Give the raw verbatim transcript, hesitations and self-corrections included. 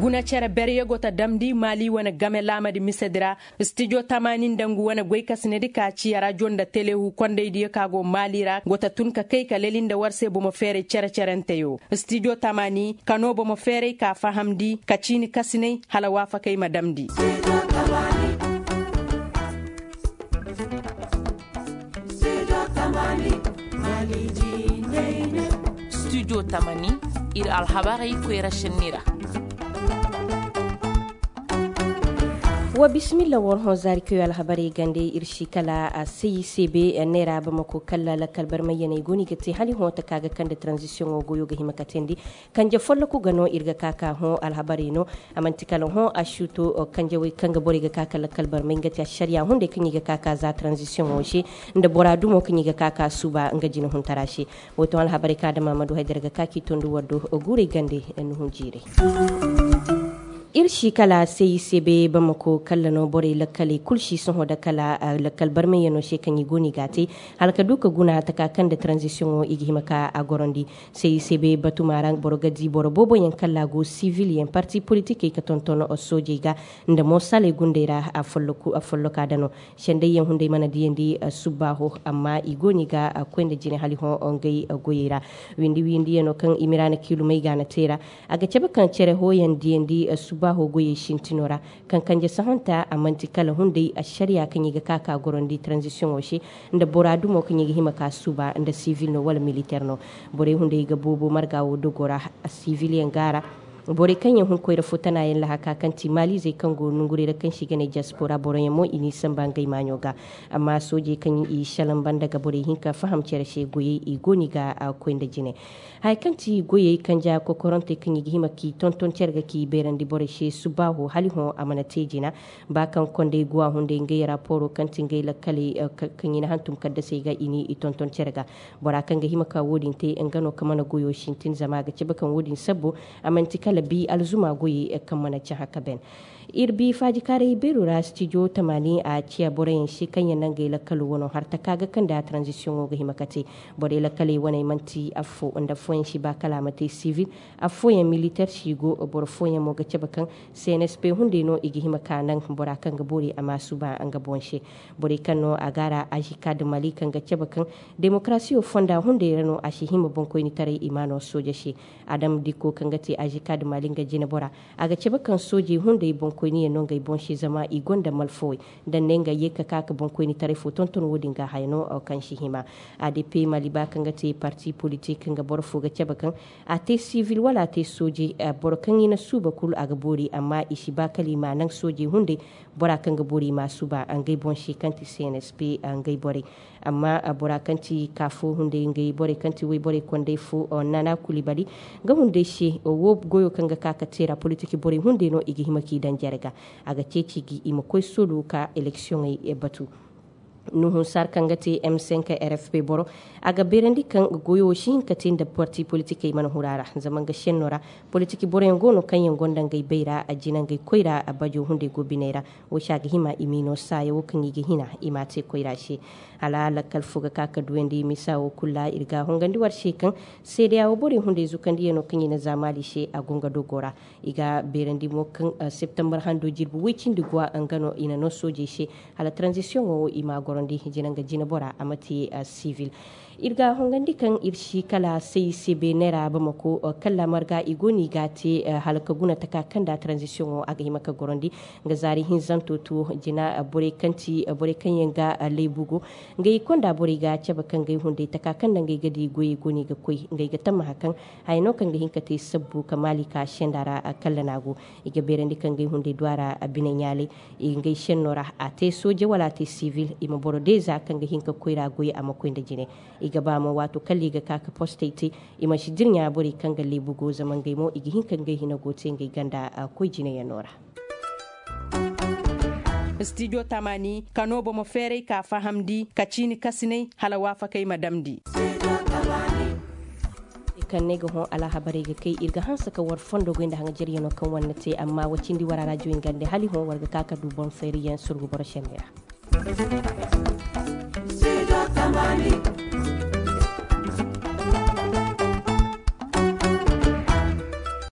Guna cere berye go ta damndi maali wane game laamadi misedi ra. Stijo tamaani nda ngu wane goykasinedi ka ciya rajo nda telehu kondaydiyo ka go maali ra go ta tun ka kay ka leli nda war se bomo feeray cere-cerenteyo. Stijo tamaani ka no bomo feeray ka fahamndi ka ciini kasinay hala waafakay ma damndi. Studio tamani, iri alhabarey koyra senni ra. Wa bismillah war hõ zaari kayo alhabarey gande iri si kala a sayi se be neera bamako kala lakkal barmayyaney goni ga te hali hõ ta ka ga kande transition wo goyo ga hima ka tendi. Kanje folloku ga no iri ga ka ka hõ alhabarey no. A manti kala hõ a suuto kanjawey kaŋ ga borey ga ka kala kalbarmay nga ti a sariya hunday kaŋ i ga ka ka za transition wo se nda bora dumo kaŋ i ga ka ka suuba nga jina huntara se. Wo toŋ alhabarey ka da mamadu haydara ga ka k'i tondi war do guuray gande nuhun jiiray. Iri si kala se i se be bamako kala no borey lakkaley kulu si sohõ da kala lakkal barmayyano se kaŋ i go no i ga a te hala ka du ka guna taka kaŋ da transition wo i ga hima ka a gorondi. Sey se be batuma ra boro ga di boro boobo yaŋ kala go sivil yaŋ parti politikey ka tonton soojey ga nda mo saley gundey ra. Afolloka da no sendey yaŋ hunday mana diyandi subbaaho amma i go no i ga koy nda jine hali hõ ngey goyey ra. Windi windi yaŋ no kaŋ i miraana kiilumey ga na te ra a ga cabe kaŋ cere hooyaŋ diyandi subbaaho goyey sintino ra. Kaŋ kanje sahonta a manti kala hunday ašariya kaŋ i ga ka ka gorondi transition wo se nda bora dumo kaŋ i ga hima ka suuba nda sivil no wala militer no. Borey hunday ga boobo marga wo dogo ra. Sivil yaŋ ga ra borey kaŋ yaŋ hun koyra fo tana yaŋ lahaka kaŋ ti maalizey kaŋ go nonguray ra kaŋ se i ga ne diaspora boro yaŋ mo i n'i samba ngey maaɲo ga. Amma soojey kaŋ i salaŋ banda ga borey hinka faham cere se goyey i go no i ga koy nda jine. Haya kaŋ ti goyey kanja kokorantey kaŋ i ga hima k'i tonton care ga k'i beerandi borey se subbaaho hali hõ a mana te jina. Ba kaŋ kondey go a hunday ngey raporo kaŋ ti ngey lakkaley kaŋ i na hantum kaddasey ga i n'i tonton care ga. Bora kaŋ ga hima ka wo-din te nga no kaŋ mana goyo sintin zama a ga cabe kaŋ wo-din sabbo a manti kala bi alzuma goyey kaŋ mana cahã ka ben. Iri bi faajikaaray beero ra stijo tamaani a ciya boroyaŋ se kaŋ yaŋ na ngey lakkalo wano har taka ga kaŋ da transition wo ga hima ka te. Borey lakkaley waney manti affo nda affooyaŋ si ba kala a ma te sivil. Affooyaŋ militer si go boro fooyaŋ mo ga cabe kaŋ cnsp hunday no i ga hima ka naŋ bora kaŋ ga boori a ma suuba nga boŋ se. Borey kaŋ no a ga ra azika da mali kaŋ ga cabe kaŋ demokarasiyo fonda hunday ra no a si hima boŋkoynitaray i ma no sooja se. Adam dikko kaŋ ga te azika da mali nga jine bora a ga cabe kaŋ soojey hunday boŋkoyniyaŋ no ngey boŋ se zama i gonda malfawey. Daŋ ne nga ye ka ka ka boŋkoynitaray fo tonton wo-din ga haya no kaŋ si hima. Adp mali ba kaŋ ga te parti politik nga boro fo ga cabe kaŋ a te sivil wala a te sooje. Boro kaŋ i na suuba kulu a ga boori amma i si ba kala i ma naŋ soojey hunday. Bora kaŋ ga boori i ma suuba ngey boŋ se kaŋ ti cnsp ngey borey. Amma bora kaŋ ti kaafo hunday ngey borey kaŋ ti wayborey kondey fo nana kulibali nga hunday se wo goyo kaŋ ga ka ka teera politik borey hunday no i ga hima k'i daŋ jare ga. A ga ceeci ga i ma koy solo ka eleksioŋey batu. Nuhun sar kaŋ ga te m cinq rfp boro a ga beerandi kaŋ goyo wo si hin ka te nda parti politikey mana hura ra zama nga senno ra. Politik boroyaŋ go no kaŋ yaŋ gonda ngey bayra a jina ngey koyra a bajo hunday go biney ra. Wo se a ga hima i m'i no saaya wo kaŋ i ga hina i m'a te koyra se. Hala lakkal fo ga ka ka duyandi misa wo kulu ra iri ga hongandi war se kaŋ seedeya wo borey hunday zukandiyano kaŋ i na za maali se a go nga dogo ra. I ga beerandi mo kaŋ septembar hando jirbi woy cindi guwa nga no i na no soojey se hala transition wo i ma gorondi jina nga jine bora a ma te sivil. Iri ga hongandi kaŋ iri si kala sayi se beene ra bamako kala marga i go no i ga te hala ka guna taka kaŋ da transition wo a ga hima ka gorondi. Nga zaari hinzanto to jina borey kaŋ ti borey kaŋ yaŋ ga laybugo ngey konda borey ga cabe kaŋ ngey hunday taka kaŋ da ngey ga di goyey go no i ga koy ngey ga tammaha kaŋ haya no kaŋ ga hin ka te sabbu ka maali ka senda ra. Kalla no a go i ga beerandi kaŋ ngey hunday du a ra bine ɲaalay. Ngey senno ra a te sooje wala a te sivil i ma boro deeza kaŋ ga hin ka koyra goy a ma koy nda jine. I ga ba mo waato kala i ga ka ka postey te i ma si dirɲa borey kaŋ ga leebu go zama ngey mo i ga hin ka ngey hina go te ngey ganda koy jineyaŋo ra. Stijo tamani kano bomo feeray ka fahamndi ka ciini kasinay hala waafakay ma damndi. Kaŋ ne ga hõ alhabarey ga kay iri ga hanse ka war fondo goy nda haŋajeryaŋo kaŋ war na te amma wa cindi war a rajo ingande hali hõ war ga ka ka du boŋ feeriyaŋ surgu boro sende ra.